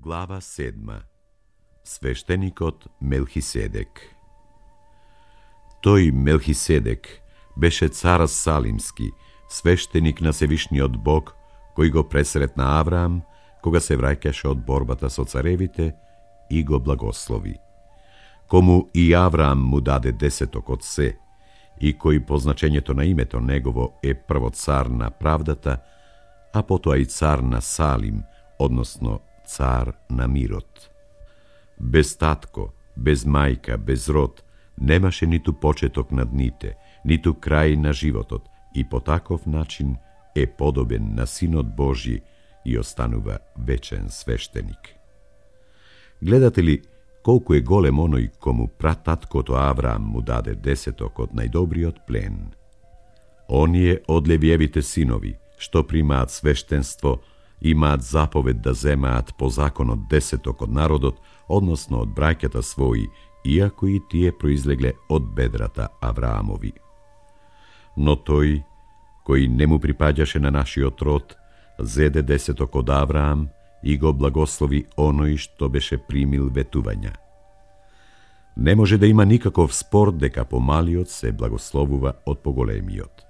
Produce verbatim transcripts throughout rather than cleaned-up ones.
Глава седма. Свештеникот Мелхиседек. Тој Мелхиседек беше цар Салимски, свештеник на Севишниот Бог, кој го пресретна Авраам кога се враќаше од борбата со царевите и го благослови. Кому и Авраам му даде десеток од се, и кој по значењето на името негово е прво цар на правдата, а потоа и цар на Салим, односно цар на мирот. Без татко, без мајка, без род, немаше ниту почеток на дните, ниту крај на животот, и по таков начин е подобен на Синот Божји и останува вечен свештеник. Гледате ли колку е голем оној кому прататкото Авраам му даде десеток од најдобриот плен? Оние од Левиевите синови, што примаат свештенство, имаат заповед да земаат по законот десеток од народот, односно од браќата своји, иако и тие произлегле од бедрата Авраамови. Но тој, кој не му припаѓаше на нашиот род, зеде десеток од Авраам и го благослови оној што беше примил ветувања. Не може да има никаков спор дека помалиот се благословува од поголемиот.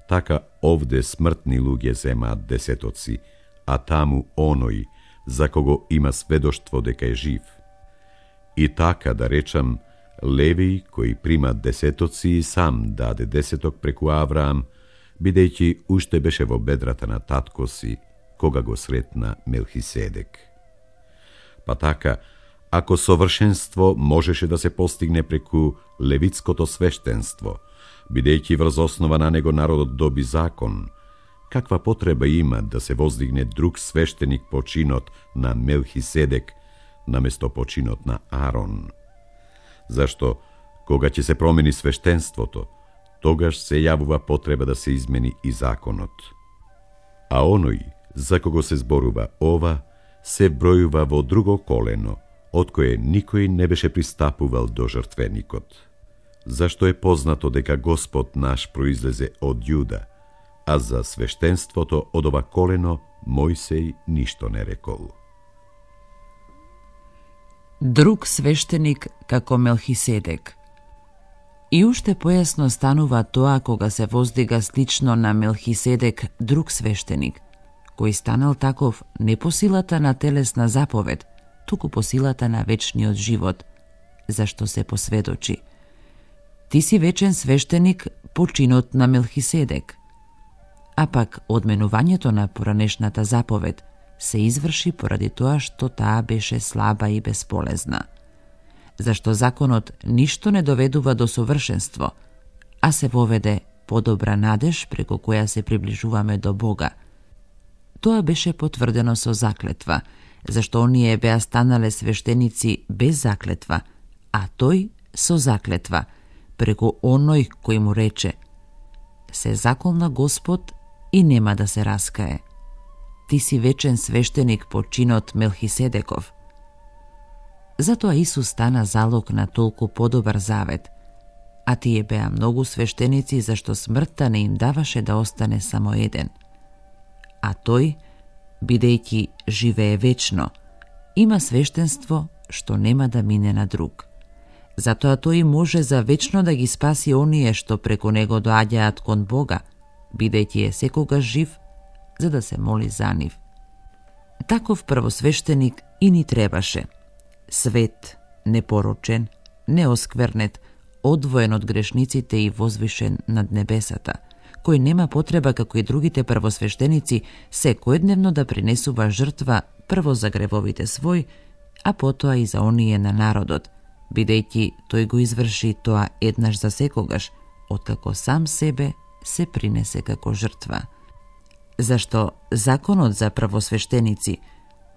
Така овде смртни луѓе земаат десетоци, а таму оној за кого има сведоштво дека е жив. И така, да речам, Левиј кој прима десетоци и сам даде десеток преку Авраам, бидејќи уште беше во бедрата на татко си, кога го сретна Мелхиседек. Па така, ако совршенство можеше да се постигне преку левитското свештенство, бидејќи врз основа на него народот доби закон, каква потреба има да се воздигне друг свештеник по чинот на Мелхиседек наместо по чинот на Арон? Зашто, кога ќе се промени свештенството, тогаш се јавува потреба да се измени и законот. А оној, за кого се зборува ова, се бројува во друго колено, од кое никој не беше пристапувал до жртвеникот. Зашто е познато дека Господ наш произлезе од Јуда, а за свештенството од ова колено Мојсеј ништо не рекол. Друг свештеник како Мелхиседек. И уште појасно станува тоа кога се воздига слично на Мелхиседек друг свештеник, кој станал таков не по силата на телесна заповед, туку по силата на вечниот живот, зашто се посведочи: ти си вечен свештеник по чинот на Мелхиседек. А пак одменувањето на поранешната заповед се изврши поради тоа што таа беше слаба и бесполезна. Зашто законот ништо не доведува до совршенство, а се воведе подобра надеж преку која се приближуваме до Бога. Тоа беше потврдено со заклетва, зашто оние беа станале свештеници без заклетва, а тој со заклетва, преку оној кој му рече: се заколна Господ и нема да се раскае. Ти си вечен свештеник по чинот Мелхиседеков. Затоа Исус стана залог на толку подобар завет, а тие беа многу свештеници зашто смртта не им даваше да остане само еден. А тој, бидејќи живее вечно, има свештенство што нема да мине на друг. Затоа тој може за вечно да ги спаси оние што преку него доаѓаат кон Бога, бидејќи е секогаш жив, за да се моли за нив. Таков првосвештеник и ни требаше. Свет, непорочен, неосквернет, одвоен од грешниците и возвишен над небесата, кој нема потреба како и другите првосвештеници секојдневно да принесува жртва прво за гревовите свој, а потоа и за оние на народот, бидејќи тој го изврши тоа еднаш за секогаш, откако сам себе се принесе како жртва. Зашто законот за првосвештеници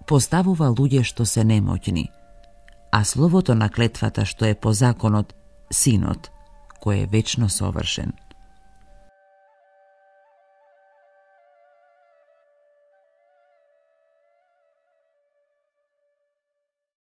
поставува луѓе што се немоќни, а словото на клетвата што е по законот, Синот, кој е вечно совршен.